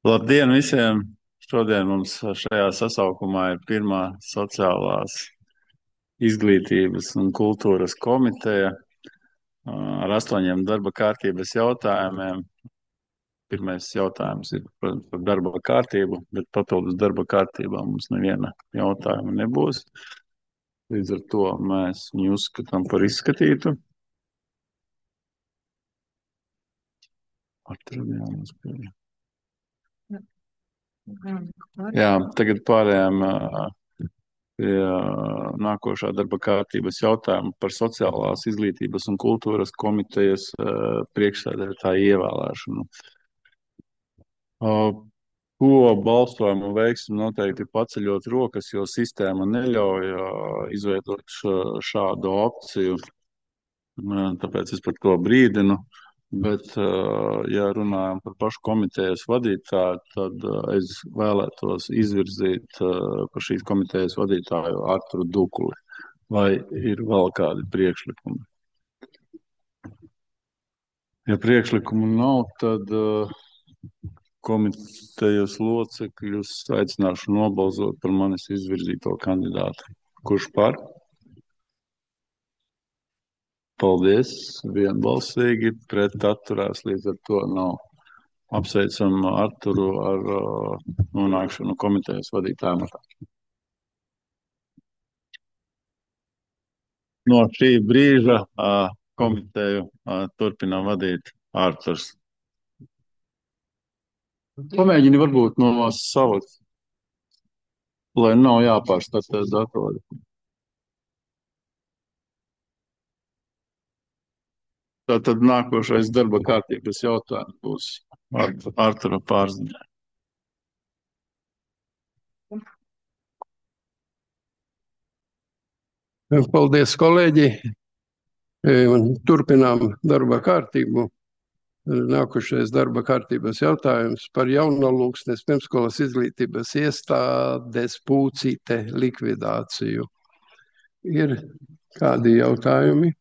Labdien visiem! Šodien mums šajā sasaukumā ir pirmā sociālās izglītības un kultūras komiteja ar 8 darba kārtības jautājumiem. Pirmais jautājums ir, protams, par darba kārtību, bet papildus darba kārtībā mums neviena jautājuma nebūs. Līdz ar to mēs viņu uzskatām par izskatītu. Jā, tagad pārējām pie nākošā darba kārtības jautājuma par sociālās izglītības un kultūras komitejas priekšsēdētāju ievēlēšanu. Ko balsojumu veiksim noteikti paceļot rokas, jo sistēma neļauj izveidot šādu opciju. Tāpēc es par to brīdinu. Bet, ja runājam par pašu komitejas vadītāju, tad es vēlētos izvirzīt par šīs komitejas vadītāju Arturu Dukuli. Vai ir vēl kādi priekšlikumi? Ja priekšlikumu nav, tad komitejas locekļus aicināšu nobalsot par manis izvirzīto kandidātu. Kurš par? Paldies, vienbalsīgi, pret atturās, līdz ar to nav. Apsveicam Arturu ar nonākšanu komitejas vadītāja amatā. No šī brīža komiteju turpina vadīt Arturs. Pamēģini varbūt no savas, lai nav jāpārstartē datori. Tātad nākošais darba kārtības jautājums būs Artura pārziņā. Paldies, kolēģi. Turpinām darba kārtību. Nākošais darba kārtības jautājums par Jaunalūksnes pirmsskolas izglītības iestādes Pūcīte likvidāciju. Ir kādi jautājumi?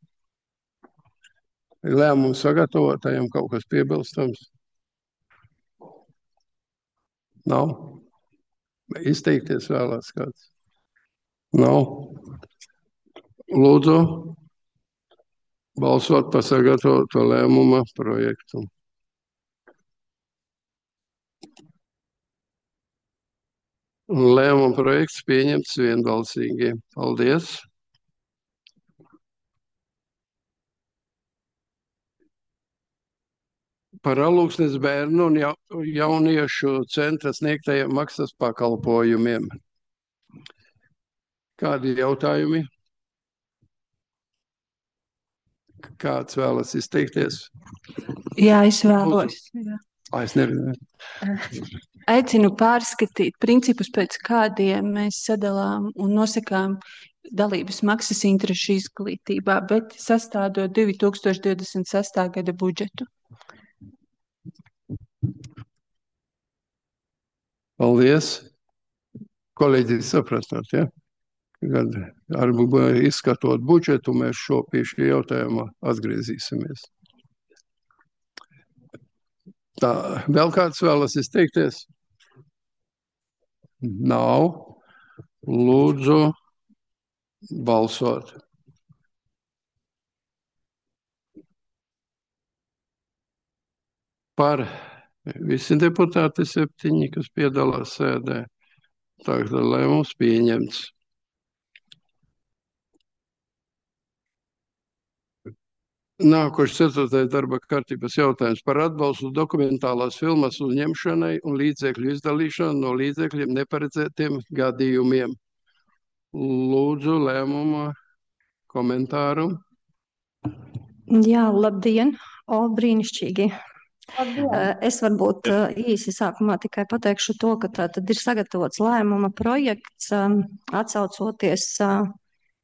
Lēmumu sagatavotājiem kaut kas piebilstams? Nav? Izteikties vēlās kāds? Nav? Lūdzu, balsot par sagatavoto lēmuma projektu. Lēmuma projekts pieņemts vienbalsīgi. Paldies! Par Alūksnes bērnu un jauniešu centra sniegtajiem maksas pakalpojumiem. Kādi jautājumi? Kāds vēlas izteikties? Jā, es vēlos. Jā. Es nevienu. Aicinu pārskatīt principus, pēc kādiem mēs sadalām un nosakām dalības maksas interešu izglītībā, bet sastādot 2026. gada budžetu. Paldies. Kolēģi, sapratāt, ja? Kad izskatot budžetu, mēs pie šī jautājuma atgriezīsimies. Tā, vēl kāds vēlas izteikties? Nav. Lūdzu, balsot. Par visi deputāti 7, kas piedalās sēdē. Tagad lēmums pieņemts. Nākošais 4. darba kārtības jautājums par atbalstu dokumentālās filmas uzņemšanai un līdzekļu izdalīšanu no līdzekļiem neparedzētiem gadījumiem. Lūdzu, lēmuma komentāru. Jā, labdien! Brīnišķīgi! Es varbūt īsi sākumā tikai pateikšu to, ka tātad ir sagatavots lēmuma projekts atsaucoties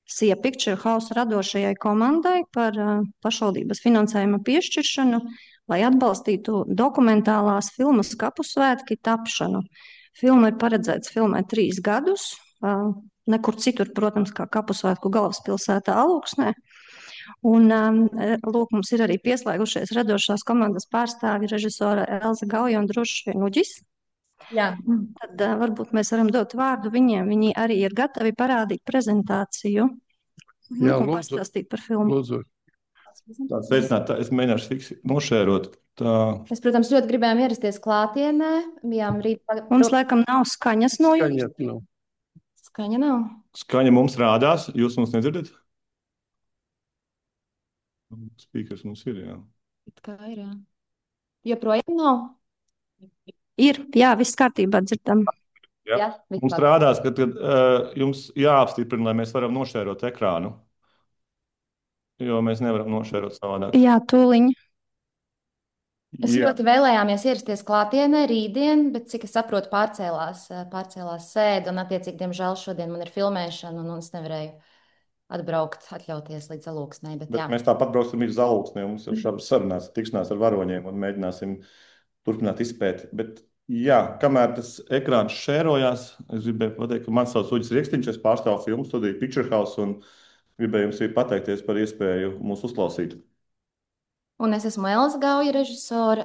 SIA Picture House radošajai komandai par pašvaldības finansējuma piešķiršanu, lai atbalstītu dokumentālās filmas Kapusvētki tapšanu. Filma ir paredzēts filmēt 3 gadus, nekur citur, protams, kā Kapusvētku galvaspilsētā Alūksnē. Un, lūk, mums ir arī pieslēgušies radošās komandas pārstāvi režisora Elza Gauja un Drušs Vienuģis. Jā. Tad varbūt mēs varam dot vārdu viņiem. Viņi arī ir gatavi parādīt prezentāciju, Jā, un lūdzu. pastāstīt par filmu. Lūdzu. Es mēģināšu nošērot. Tā. Mēs, protams, ļoti gribējām ierasties klātienē. Bijām rīt. Mums laikam nav skaņas no jums. Skaņa nav. Skaņa nav. Skaņa mums rādās, jūs mums nedzirdat? Spīkers mums ir, jā. It kā ir, jā. Joprojām nav. Ir, jā, viss kārtībā dzirdam. Jā. Jā, Mums rādās, ka jums jāapstiprina, lai mēs varam nošērot ekrānu. Jo mēs nevaram nošērot savādāk. Jā, tūliņ. Es ļoti vēlējāmies ierasties klātienē rītdien, bet, cik es saprotu, pārcēlās sēde, un, attiecīgi, diemžēl šodien man ir filmēšana, un es nevarēju atbraukt, atļauties līdz Alūksnei. Bet mēs tāpat brauksim līdz Alūksnei, un mums ir šādas sarunās, tikšanās ar varoņiem, un mēģināsim turpināt izpēti. Bet, jā, kamēr tas ekrāns šērojās, es gribēju pateikt, ka man sauc Uģis Rieksniņš, es pārstāvu filmu studiju Picture House, un gribēju jums pateikties par iespēju mūs uzklausīt. Un es esmu Elza Gauja, režisore.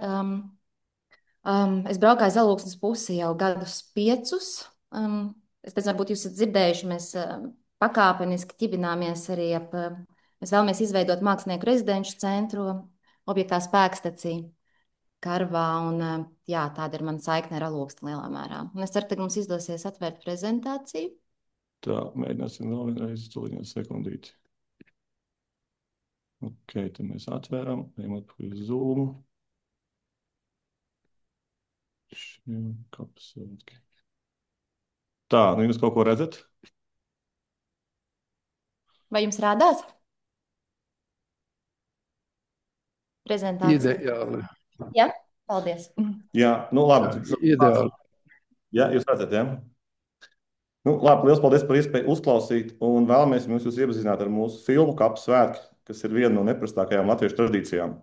Es braukāju uz Alūksnes pusi jau gadus 5. Es nezinu, varbūt jūs esat dzirdējuši, mēs pakāpeniski ķibināmies arī mēs vēlamies izveidot mākslinieku rezidenču centru objektā Spēkstacija Karvā, un jā, tāda ir mana saikne ar Alūksni lielā mērā. Un es ceru, ka mums izdosies atvērt prezentāciju. Tā, mēģināsim vēl vienreiz sekundīti. Ok, tad mēs atvēram, ejam atpakaļ uz Zoom. Tā, nu jūs kaut ko redzat? Vai jums rādās? Prezentācija. Ideāli. Jā, paldies. Jā, nu labi. Ideāli. Jā, jūs redzat, jā? Nu, labi, liels paldies par iespēju uzklausīt, un vēlamies jūs iepazīstināt ar mūsu filmu Kapu svētki, kas ir viena no neprastākajām latviešu tradīcijām.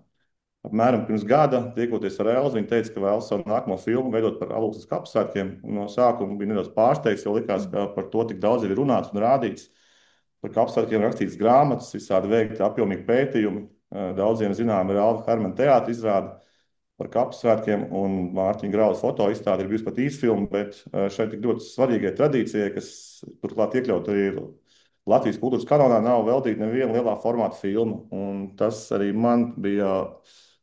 Apmēram pirms gada, tiekoties ar Elzu, viņa teica, ka vēlas savu nākamo filmu veidot par Alūksnes Kapu svētkiem. No sākuma bija nedaudz pārsteigts, jo likās, ka par to tik daudz ir runāts un rādīts. Par Kapu svētkiem rakstīts grāmatas, visādi veikti apjomīgi pētījumi. Daudziem zinām ir Alva Hermana teātra izrāde par Kapu svētkiem, un Mārtiņa Graulas foto izstāde ir bijusi pat īsfilma, bet šeit tik ļoti svarīgai tradīcijai, kas turklāt iekļaut arī Latvijas kultūras kanonā, nav veltīta neviena lielā formāta filma. Un tas arī man bija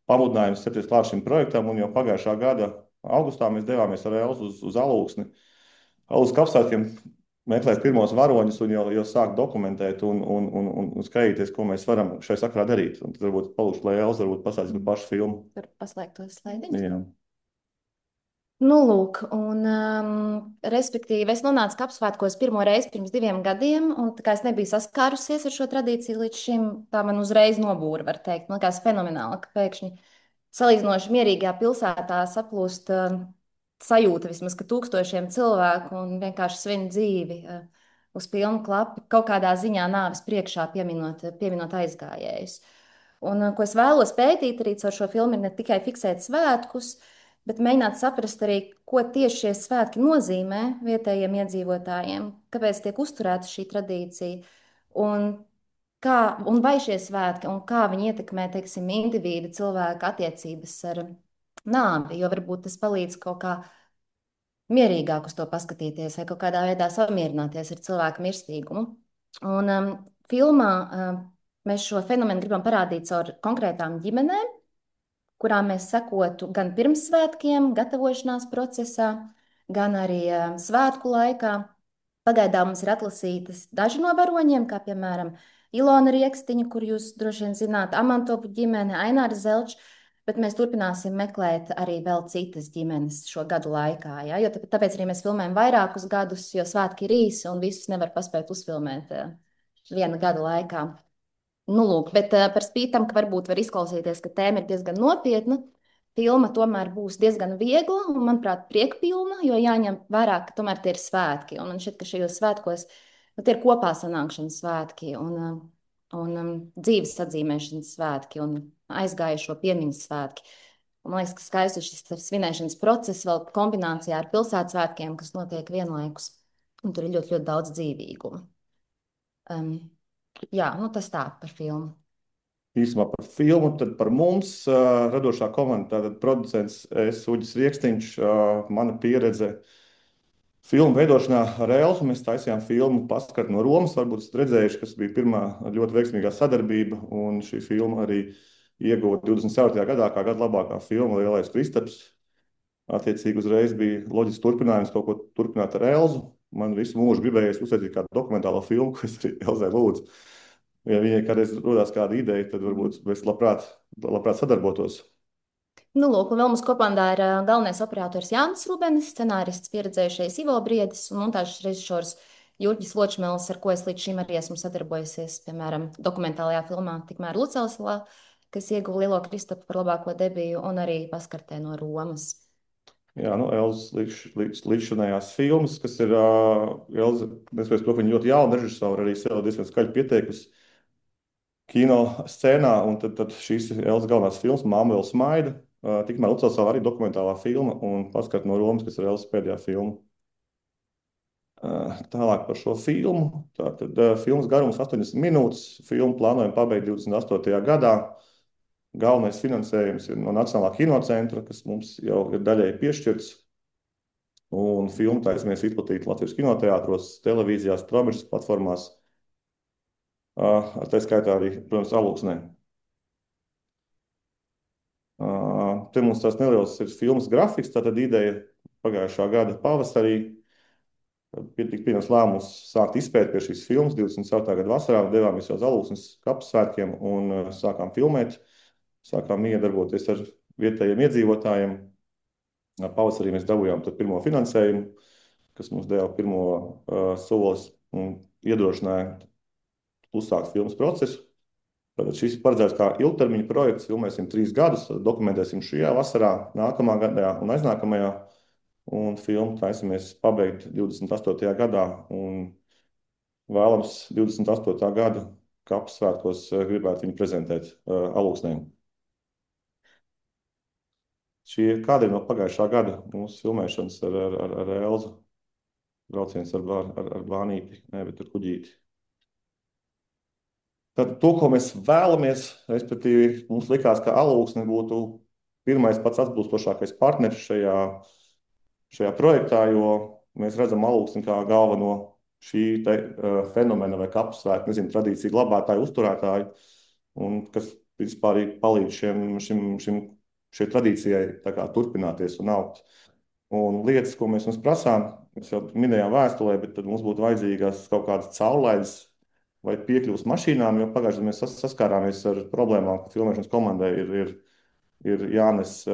pamudinājums ķerties klāt šim projektam, un jau pagājušā gada augustā mēs devāmies ar Elzu uz Alūksni. Alūksnes Kapu svētkiem meklēt pirmos varoņus un jau sākt dokumentēt un skatīties, ko mēs varam šai sakarā darīt. Un tad varbūt palūkšu, lai Elza varbūt pastāstīs par pašu filmu. Tur paslēgt tos slaidiņus. Jā. Nu, lūk, un respektīvi es nonācu Kapu svētkos pirmo reizi pirms 2 gadiem, un tā kā es nebiju saskārusies ar šo tradīciju līdz šim, tā man uzreiz nobūra, var teikt. Man likās fenomenāli, ka pēkšņi salīdzinoši mierīgajā pilsētā saplūst sajūta vismaz, ka tūkstošiem cilvēku un vienkārši svin dzīvi uz pilnu klapu, kaut kādā ziņā nāves priekšā pieminot aizgājējus. Un ko es vēlos pētīt arī caur šo filmu, ir ne tikai fiksēt svētkus, bet mēģināt saprast arī, ko tieši šie svētki nozīmē vietējiem iedzīvotājiem, kāpēc tiek uzturēta šī tradīcija, un vai šie svētki, un kā viņi ietekmē, teiksim, individu cilvēku attiecības ar nāvi, jo varbūt tas palīdz kaut kā mierīgāk uz to paskatīties vai kaut kādā veidā samierināties ar cilvēku mirstīgumu. Un filmā mēs šo fenomenu gribam parādīt caur konkrētām ģimenēm, kurām mēs sekotu gan pirms svētkiem, gatavošanās procesā, gan arī svētku laikā. Pagaidām mums ir atlasītas daži no varoņiem, kā piemēram Ilona Riekstiņa, kur jūs droši vien zināt, Amantovu ģimene, Aināra Zelča, bet mēs turpināsim meklēt arī vēl citas ģimenes šo gadu laikā. Ja? Jo tāpēc arī mēs filmējam vairākus gadus, jo svētki ir īsi un visus nevar paspēt uzfilmēt viena gada laikā. Nu, lūk, bet par spīti tam, ka varbūt var izklausīties, ka tēma ir diezgan nopietna, filma tomēr būs diezgan viegla un, manuprāt, priekpilna, jo jāņem vērā, ka tomēr tie ir svētki. Un man šķiet, ka šajos svētkos tie ir kopā sanākšanas svētki un dzīves atzīmēšanas svētki un aizgājušo piemiņas svētki. Un man liekas, ka skaisti šis svinēšanas process vēl kombinācijā ar pilsētas svētkiem, kas notiek vienlaikus. Un tur ir ļoti, ļoti daudz dzīvīguma. Jā, nu tas tā par filmu. īsumā par filmu, tad par mums radošā komanda, tātad producents es, Uģis Riekstiņš, mana pieredze filmu veidošanā ar Elfu. Mēs taisījām filmu Paskart no Romas, varbūt esat redzējuši, kas bija pirmā ļoti veiksmīgā sadarbība, un šī filma arī ieguva 24. gadā kā gada labākā filma Lielais Kristaps. Attiecīgi uzreiz bija loģisks turpinājums kaut ko turpināt ar Elzu. Man visu mūžu gribējies uztaisīt kādu dokumentālo filmu, ko es arī Elzai lūdzu. Ja viņai kādreiz rodās kāda ideja, tad varbūt mēs labprāt sadarbotos. Nu, lūk, un vēl mums komandā ir galvenais operators Jānis Rubenis, scenārists pieredzējušais Ivo Briedis un montāžas režisors Jurģis Ločmēls, ar ko es līdz šim arī esmu sadarbojusies, piemēram, dokumentālajā filmā Tikmēr Lucelsvā, kas ieguva Lielo Kristapu par labāko debiju, un arī Paskartē no Romas. Jā, nu, Elzas līdzšinējās filmas, kas ir Elza, nespējas to, ka viņa ļoti jauna režisora, arī sev diezgan skaļi pieteikusi kino scēnā, un tad šīs ir Elzas galvenās filmas, Māma vēl smaida, tikmēr Lucelsvā arī dokumentālā filma, un Paskart no Romas, kas ir Elzas pēdējā filma. Tālāk par šo filmu. Tātad filmas garums 80 minūtes, filmu plānojam pabeigt 28. gadā. Galvenais finansējums ir no Nacionālā kinocentra, kas mums jau ir daļēji piešķirts. Un filmu taisamies izplatīt Latvijas kinoteātros, televīzijās, straumešas platformās. Tā skaitā arī, protams, Alūksnē. Te mums tās neliels ir filmas grafiks, tātad ideja pagājušā gada pavasarī. Tika pieņemts lēmums sākt izpēti pie šīs filmas 24. gada vasarā. Devāmies jau uz Alūksnes kapu svētkiem un sākām filmēt. Sākām iedarboties ar vietējiem iedzīvotājiem. Pavasarī mēs dabūjām pirmo finansējumu, kas mums deva pirmo solis un iedrošināja uzsākt filmas procesu. Tātad šis ir paredzēts kā ilgtermiņa projekts. Filmēsim 3 gadus, dokumentēsim šajā vasarā, nākamā gadā un aiznākamajā. Un filmu taisamies pabeigt 28. gadā. Un vēlams 28. gada kapu svētkos gribētu viņu prezentēt Alūksnē. Šī ir kāda no pagājušā gada mūsu filmēšanas ar Elzu. Brauciens ar Bānīti, ne, bet ar kuģīti. Tad to, ko mēs vēlamies, respektīvi, mums likās, ka Alūksne būtu pirmais pats atbilstošākais partneris šajā projektā, jo mēs redzam Alūksni kā galveno šī fenomena vai kapu svētku, tradīciju glabātāju, uzturētāju, un kas vispār palīdz šai tradīcijai turpināties un augt. Un lietas, ko mēs prasām, mēs jau minējām vēstulē, bet tad mums būtu vajadzīgas kaut kādas caurlaides vai piekļuvas mašīnām, jo pagājušajā mēs saskārāmies ar problēmām, ka filmēšanas komandai ir jānes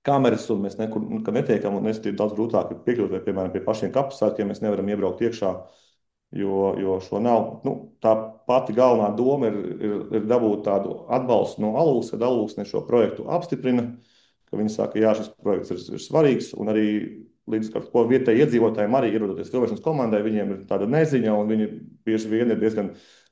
kameras, un mēs nekur netiekam, un ir daudz grūtāk piekļūt, vai, piemēram, pie pašiem kapu svētkiem mēs nevaram iebraukt iekšā, jo šo nav. Tā pati galvenā doma ir dabūt tādu atbalstu no Alūksnes, kad Alūksne šo projektu apstiprina, ka viņi saka, jā, šis projekts ir svarīgs, un arī līdz ar ko vietēji iedzīvotājiem arī ierodoties filmēšanas komandai, viņiem ir tāda neziņa, un viņi bieži vien ir diezgan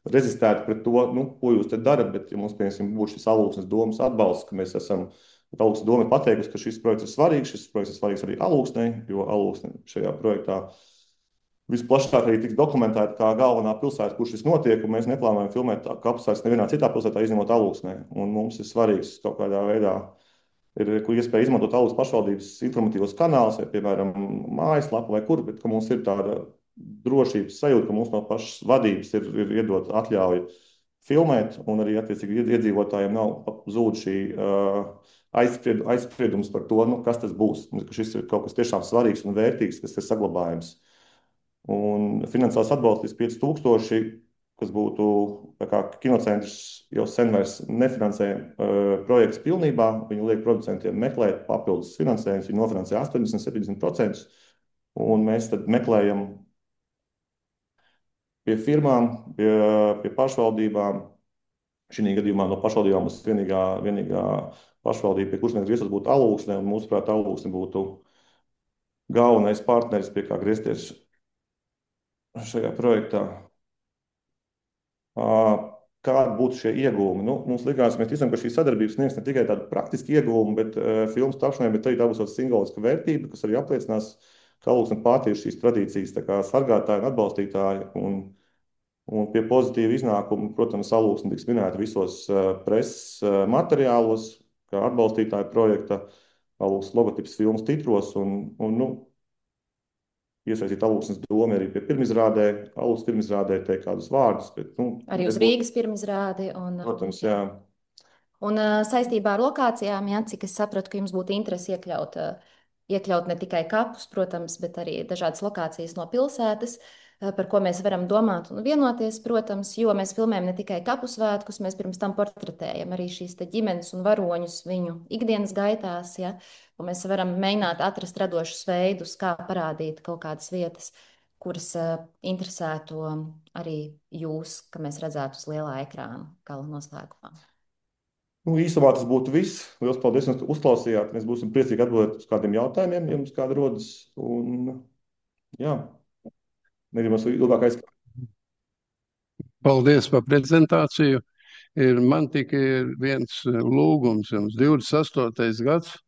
rezistēti pret to, ko jūs te darat, bet ja mums, piemēram, būs šis Alūksnes domas atbalsts, ka mēs esam, Alūksnes doma ir pateikusi, ka šis projekts ir svarīgs, šis projekts ir svarīgs arī Alūksnei, jo Alūksne šajā projektā visplašāk arī tiks dokumentēta kā galvenā pilsēta, kur šis notiek, un mēs neplānojam filmēt kapu svētkus nevienā citā pilsētā, izņemot Alūksnē. Un mums ir svarīgs kaut kādā veidā ir iespēja izmantot Alūksnes pašvaldības informatīvos kanālus, vai, piemēram, mājaslapu vai kur, bet ka mums ir tāda drošības sajūta, ka mums no pašas vadības ir iedot atļauju filmēt, un arī attiecīgi iedzīvotājiem nav zūd šī aizspriedums par to, kas tas būs, ka šis ir kaut kas tiešām svarīgs un vērtīgs, kas ir saglabājams. Un finansiāls atbalsts līdz 5000, kas būtu, tā kā kinocentrs jau sen vairs nefinansē projekts pilnībā, viņi liek producentiem meklēt papildus finansējumus, viņi nofinansē 80–70%, un mēs tad meklējam pie firmām, pie pašvaldībām. Šī gadījumā no pašvaldībām mums vienīgā pašvaldība, pie kuras mēs grieztos, būtu Alūksne, un mūsuprāt, Alūksne būtu galvenais partneris, pie kā griezties šajā projektā. Kādi būtu šie ieguvumi? Mums likās, mēs ticam, ka šī sadarbība sniegs ne tikai tādu praktisku ieguvumu, bet filmas tapšanai, bet arī tā būs tāda simboliska vērtība, kas arī apliecinās, ka Alūksne pati ir šīs tradīcijas sargātāji un atbalstītāji. Un Un pie pozitīva iznākuma, protams, Alūksne tiks minēta visos preses materiālos, kā atbalstītāja projekta, Alūksnes logotips filmas titros un iesaistīt Alūksnes domu arī pie pirmizrādē. Alūksnes pirmizrādē teikt kādus vārdus, bet, Arī uz Rīgas pirmizrādi. Protams, jā. Un saistībā ar lokācijām, jā, cik es sapratu, ka jums būtu interesi iekļaut ne tikai kapus, protams, bet arī dažādas lokācijas no pilsētas, par ko mēs varam domāt un vienoties, protams, jo mēs filmējam ne tikai kapu svētkus, mēs pirms tam portretējam arī šīs te ģimenes un varoņus viņu ikdienas gaitās, ja, un mēs varam mēģināt atrast radošus veidus, kā parādīt kaut kādas vietas, kuras interesētu arī jūs, ka mēs redzētu uz lielā ekrāna gala noslēgumā. Īsumā tas būtu viss. Lielas paldies, ka uzklausījāt. Mēs būsim priecīgi atbildēt uz kādiem jautājumiem, ja jums kāda rodas. Un, jā, negribam ilgāk aizskatīt. Paldies par prezentāciju. Man tikai ir viens lūgums jums. 28. gads,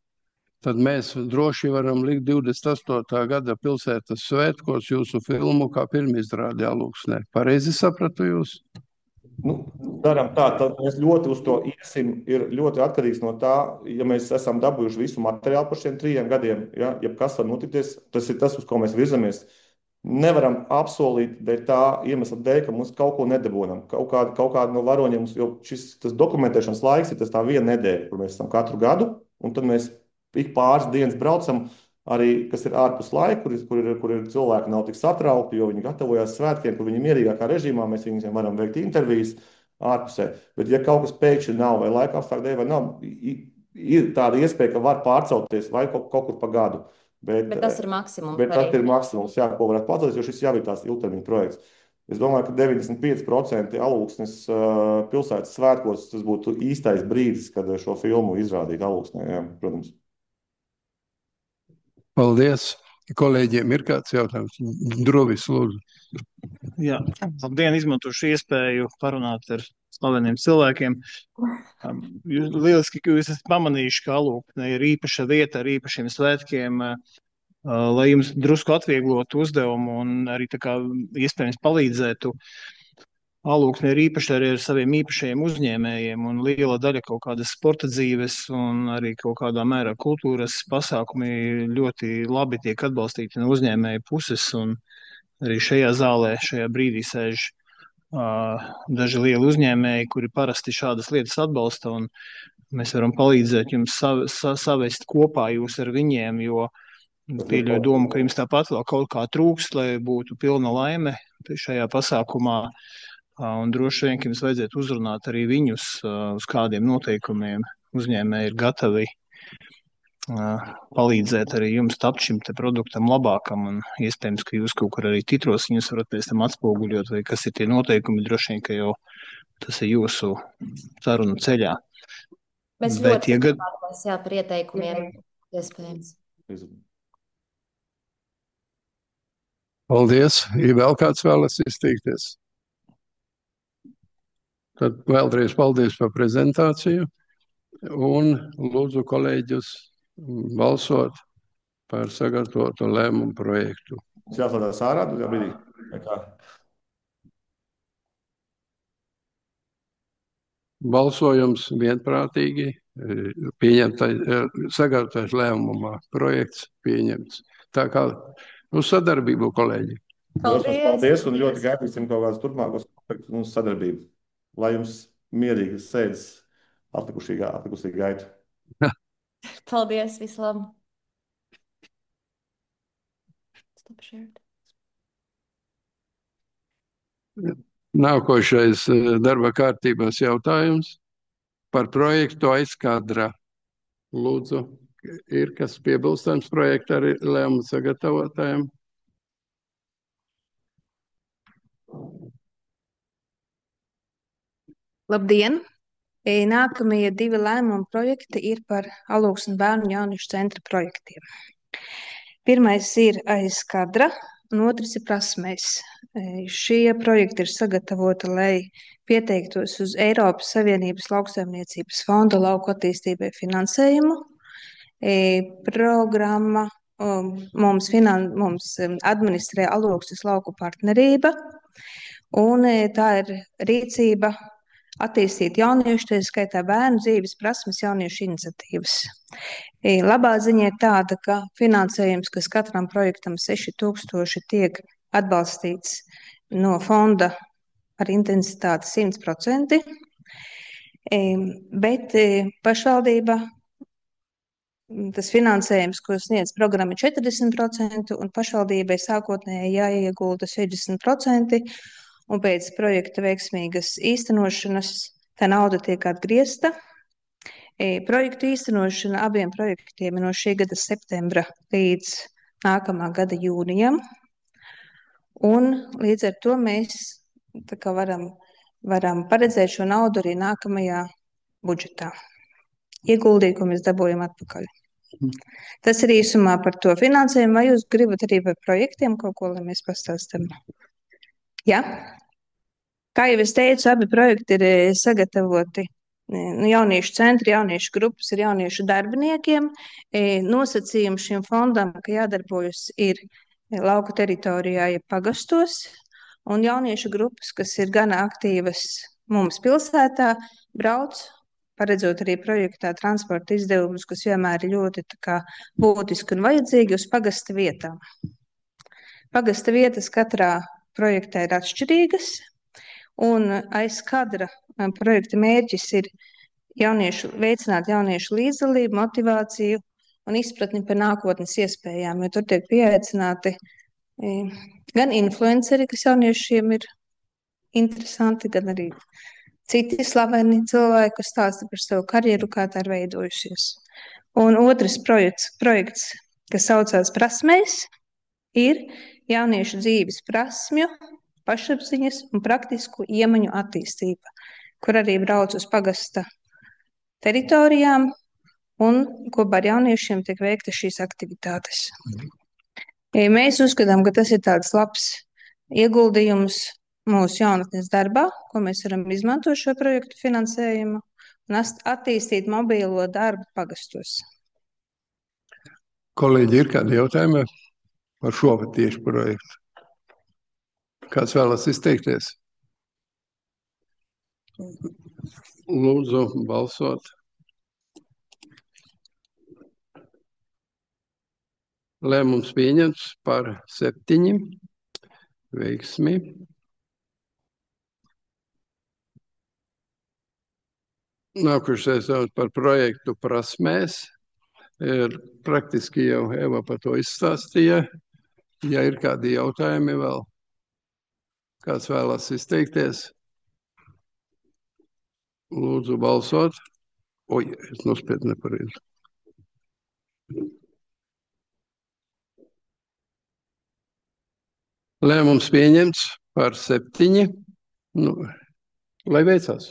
tad mēs droši varam likt 28. gada pilsētas svētkos jūsu filmu kā pirmizrādi Alūksnē. Pareizi sapratu jūs? Darām tā, tad mēs ļoti uz to iesim, ir ļoti atkarīgs no tā, ja mēs esam dabūjuši visu materiālu par šiem 3 gadiem, ja kas var notikties, tas ir tas, uz ko mēs virzamies. Nevaram apsolīt dēļ tā iemesla dēļ, ka mums kaut ko nedabūnam. Kaut kāda no varoņiem, jo tas dokumentēšanas laiks ir tas tā 1 nedēļa, kur mēs esam katru gadu, un tad mēs ik pāris dienas braucam, arī, kas ir ārpus laika, kur ir cilvēki nav tik satraukti, jo viņi gatavojās svētkiem, kur viņi mierīgākā režīmā, mēs viņiem varam veikt intervijas ārpusē. Bet ja kaut kas pēkšņi nav, vai laika apstākļu dēļ, vai nav, ir tāda iespēja, ka var pārcelties vai kaut kur pa gadu. Bet tas ir maksimums. Bet tas ir maksimums, jā, ko varētu pacelties, jo šis jau ir tās ilgtermiņa projekts. Es domāju, ka 95% Alūksnes pilsētas svētkos tas būtu īstais brīdis, kad šo filmu izrādīt Alūksnē, jā, protams. Paldies. Kolēģiem ir kāds jautājums? Drovis, lūdzu. Jā, labdien, izmantošu iespēju parunāt ar slaveniem cilvēkiem. Lieliski, ka jūs esat pamanījuši, ka Alūksne ir īpaša vieta ar īpašiem svētkiem, lai jums drusku atvieglotu uzdevumu un arī tā kā iespējams palīdzētu. Alūksne ir īpaši arī ar saviem īpašajiem uzņēmējiem, un liela daļa kaut kādas sporta dzīves un arī kaut kādā mērā kultūras pasākumi ļoti labi tiek atbalstīti no uzņēmēju puses, un arī šajā zālē šajā brīdī sēž daži lieli uzņēmēji, kuri parasti šādas lietas atbalsta, un mēs varam palīdzēt jums savest kopā jūs ar viņiem, jo pieļauju domu, ka jums tāpat vēl kaut kā trūkst, lai būtu pilna laime šajā pasākumā. Un droši vien, ka jums vajadzētu uzrunāt arī viņus, uz kādiem noteikumiem uzņēmēji ir gatavi palīdzēt arī jums tapt šim te produktam labākam, un iespējams, ka jūs kaut kur arī titros viņus varat pēc tam atspoguļot, vai kas ir tie noteikumi, droši vien, ka jau tas ir jūsu sarunu ceļā. Mēs ļoti pateicāmies par ieteikumiem, iespējams. Paldies. Ir vēl kāds vēlas izteikties? Tad vēlreiz paldies par prezentāciju un lūdzu kolēģus balsot par sagatavotu lēmumu projektu. Jāslēdzās ārā, jā, brīdī. Balsojums vienprātīgi, sagatavotais lēmuma projekts pieņemts. Tā kā uz sadarbību, kolēģi. Paldies un ļoti gaidīsim kaut kādus turpmākos projektus un sadarbību. Lai jums mierīgi sēdes atlikusī gaita. Paldies, vislabāk. Nākošais darba kārtības jautājums par projektu Aizkadra. Lūdzu, ir kas piebilstams projekta arī lēmumu sagatavotājiem? Labdien! Nākamie 2 lēmumu projekti ir par Alūksnes bērnu un jauniešu centra projektiem. Pirmais ir Aizkadra, un otrs ir Prasmēs. Šie projekti ir sagatavoti, lai pieteiktos uz Eiropas Savienības lauksaimniecības fonda lauku attīstībai finansējumu. Programma mums administrē Alūksnes lauku partnerība. Un tā ir rīcība attīstīt jauniešu, tā skaitā bērnu dzīves prasmes, jauniešu iniciatīvas. Labā ziņa ir tāda, ka finansējums, kas katram projektam 6000 tiek atbalstīts no fonda ar intensitāti 100%, bet pašvaldība tas finansējums, ko sniedz programma, ir 40%, un pašvaldībai sākotnēji jāiegulda 60%, un pēc projekta veiksmīgas īstenošanas tā nauda tiek atgriezta. Projektu īstenošana abiem projektiem ir no šī gada septembra līdz nākamā gada jūnijam, un līdz ar to mēs varam paredzēt šo naudu arī nākamajā budžetā. Ieguldījumu mēs dabūjam atpakaļ. Tas ir īsumā par to finansējumu. Vai jūs gribat arī par projektiem kaut ko, lai mēs pastāstam? Jā? Kā jau es teicu, abi projekti ir sagatavoti. Jauniešu centri, jauniešu grupas ir jauniešu darbiniekiem. Nosacījumi šim fondam, ka jādarbojas ir lauku teritorijā, ja pagastos, un jauniešu grupas, kas ir gana aktīvas mums pilsētā, brauc, paredzot arī projektā transporta izdevumus, kas vienmēr ir ļoti būtiski un vajadzīgi uz pagasta vietām. Pagasta vietas katrā projektā ir atšķirīgas, un aiz kadra projekta mērķis ir veicināt jauniešu līdzdalību, motivāciju un izpratni par nākotnes iespējām, jo tur tiek pieaicināti gan influenceri, kas jauniešiem ir interesanti, gan arī citi slaveni cilvēki, kas stāsta par savu karjeru, kā tā ir veidojušies. Un otrs projekts, kas saucās Prasmēs, ir jauniešu dzīves prasmju, pašapziņas un praktisku iemaņu attīstība, kur arī brauc uz pagasta teritorijām, un kopā ar jauniešiem tiek veikta šīs aktivitātes. Mēs uzskatām, ka tas ir tāds labs ieguldījums mūsu jaunatnes darbā, ko mēs varam izmantot šo projektu finansējumu un attīstīt mobīlo darbu pagastos. Kolēģi, ir kādi jautājumi par šo tieši projektu? Kāds vēlas izteikties? Lūdzu, balsot. Lēmums pieņemts par 7. Veiksmi. Nākošais par projektu Prasmēs. Praktiski jau Eva par to izstāstīja. Ja ir kādi jautājumi vēl, kāds vēlas izteikties, lūdzu balsot. Oi, es nospiedu nepareizi. Lēmums pieņemts par 7. Lai veicās.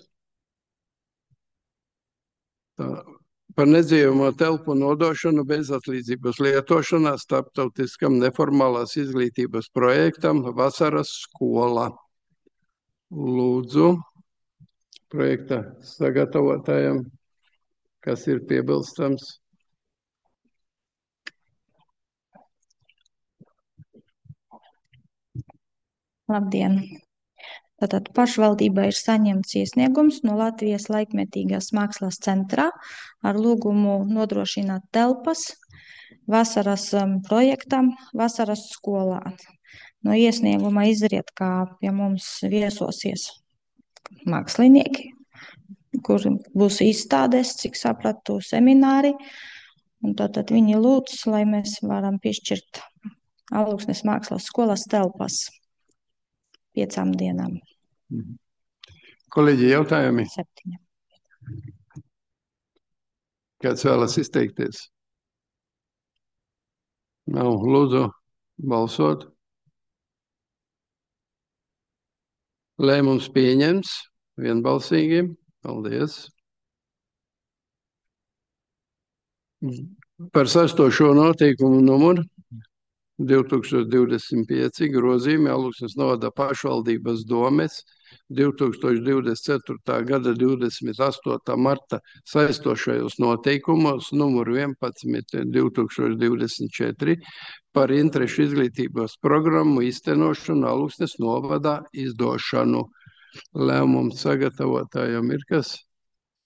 Par nedzīvojamo telpu nodošanu bezatlīdzības lietošanā starptautiskam neformālās izglītības projektam Vasaras skola. Lūdzu, projekta sagatavotājiem, kas ir piebilstams. Labdien! Tātad pašvaldībai ir saņemts iesniegums no Latvijas laikmetīgās mākslas centrā ar lūgumu nodrošināt telpas vasaras projektam Vasaras skolā. No iesnieguma izriet, kā pie mums viesosies mākslinieki, kur būs izstādes, cik sapratu, semināri. Un tātad viņi lūdz, lai mēs varam piešķirt Alūksnes mākslas skolas telpas 5 dienām. Kolēģi, jautājumi? 7. Kāds vēlas izteikties? Nav, lūdzu, balsot. Lēmums pieņemts vienbalsīgi. Paldies. Par 6. noteikumu numuru 2025 grozījumi Alūksnes novada pašvaldības domes 2024. gada 28. marta saistošajos noteikumos numur 11 2024 par interešu izglītības programmu īstenošanu Alūksnes novadā izdošanu. Lēmumu sagatavotājiem ir kas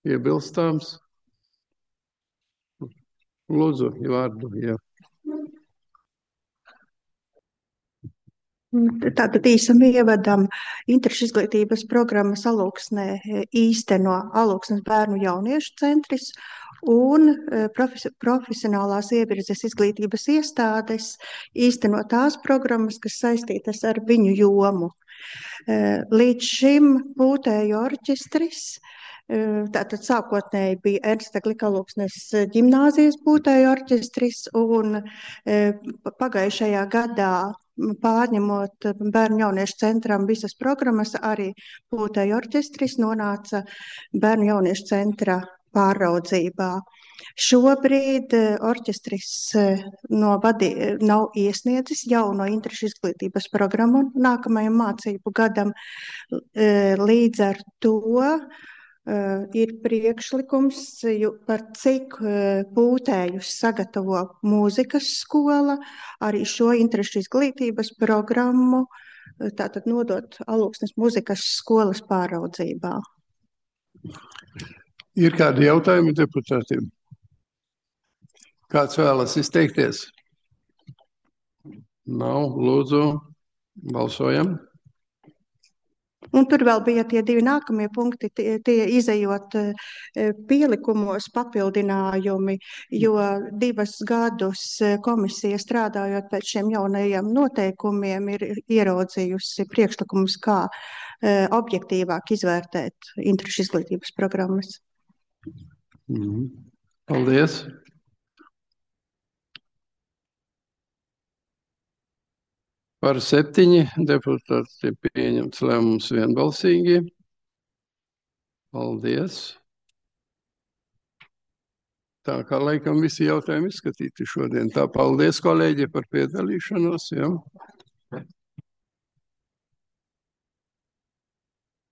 iebilstāms? Lūdzu, vārdu, jā. Tātad īsam ievadam interešu izglītības programmas Alūksnē īsteno Alūksnes bērnu jauniešu centris un profesionālās ievirzes izglītības iestādes īsteno tās programmas, kas saistītas ar viņu jomu. Līdz šim pūtēju orķestris, tātad sākotnēji bija Ernsta Glika Alūksnes ģimnāzijas pūtēju orķestris un pagājušajā gadā pārņemot bērnu jauniešu centram visas programmas, arī pūtēju orķestris nonāca bērnu jauniešu centra pāraudzībā. Šobrīd orķestris nav iesniedzis jauno interešu izglītības programmu nākamajam mācību gadam. Līdz ar to ir priekšlikums, par cik pūtējus sagatavo mūzikas skola, arī šo interešu izglītības programmu tātad nodot Alūksnes mūzikas skolas pāraudzībā. Ir kādi jautājumi deputātiem? Kāds vēlas izteikties? Nav, lūdzu, balsojam. Un tur vēl bija tie divi nākamie punkti, tie izejot pielikumos papildinājumi, jo 2 gadus komisija strādājot pēc šiem jaunajiem noteikumiem ir ieraudzījusi priekšlikumus, kā objektīvāk izvērtēt interešu izglītības programmas. Paldies. Par 7 deputāti pieņemts lēmums vienbalsīgi. Paldies. Tā kā laikam visi jautājumi izskatīti šodien. Tā paldies, kolēģi, par piedalīšanos. Ja?